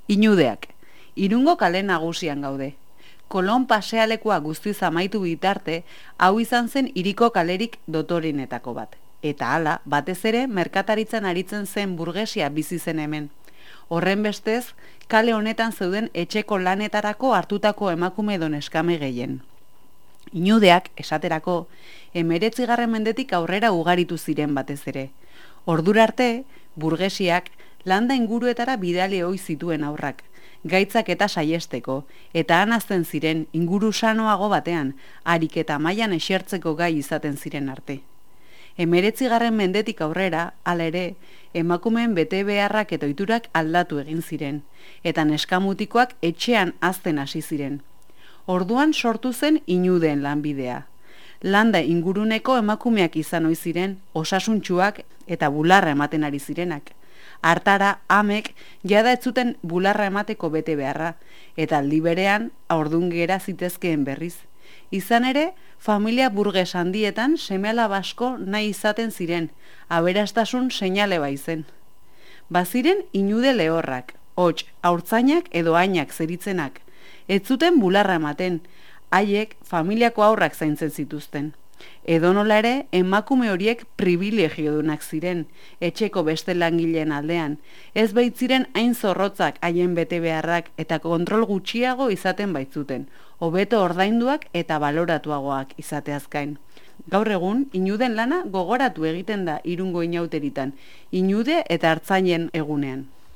Inudeak. Irungo kale nagusian gaude. Kolon pasealekua guztiz amaitu bitarte, hau izan zen hiriko kalerik dotorinetako bat. Eta hala, batez ere, merkataritzan aritzen zen burgesia bizi zen hemen. Horren bestez, kale honetan zeuden etxeko lanetarako hartutako emakume edo neskame gehien. Inudeak, esaterako, 19. mendetik aurrera ugaritu ziren batez ere. Ordura arte, burgesiak landa inguruetara bidali ohi zituen aurrak, gaitzak eta saiesteko, eta han hazten ziren inguru sanoago batean, harik eta mailan esertzeko gai izaten ziren arte. 19. mendetik aurrera, hala ere, emakumeen bete beharrak eta ohiturak aldatu egin ziren, eta neskamutikoak etxean hazten hasi ziren. Orduan sortu zen inudeen lanbidea. Landa inguruneko emakumeak izan ohi ziren, osasuntsuak eta bularra ematen ari zirenak. Hartara, amek jada ez zuten bularra emateko bete beharra, eta aldi berean haurdun gera zitezkeen berriz. Izan ere, familia burges handietan seme-alaba asko nahi izaten ziren, aberastasun seinale baizen. Baziren inude lehorrak, hots, haurtzainak edo ainak zeritzenak. Ez zuten bularra ematen, haiek familiako haurrak zaintzen zituzten. Edonola ere, emakume horiek privilegiodunak ziren, etxeko beste langileen aldean, ez baitziren hain zorrotzak haien bete beharrak eta kontrol gutxiago izaten baitzuten, hobeto ordainduak eta baloratuagoak izateaz gain. Gaur egun, inuden lana gogoratu egiten da Irungo inauteritan, inude eta artzainen egunean.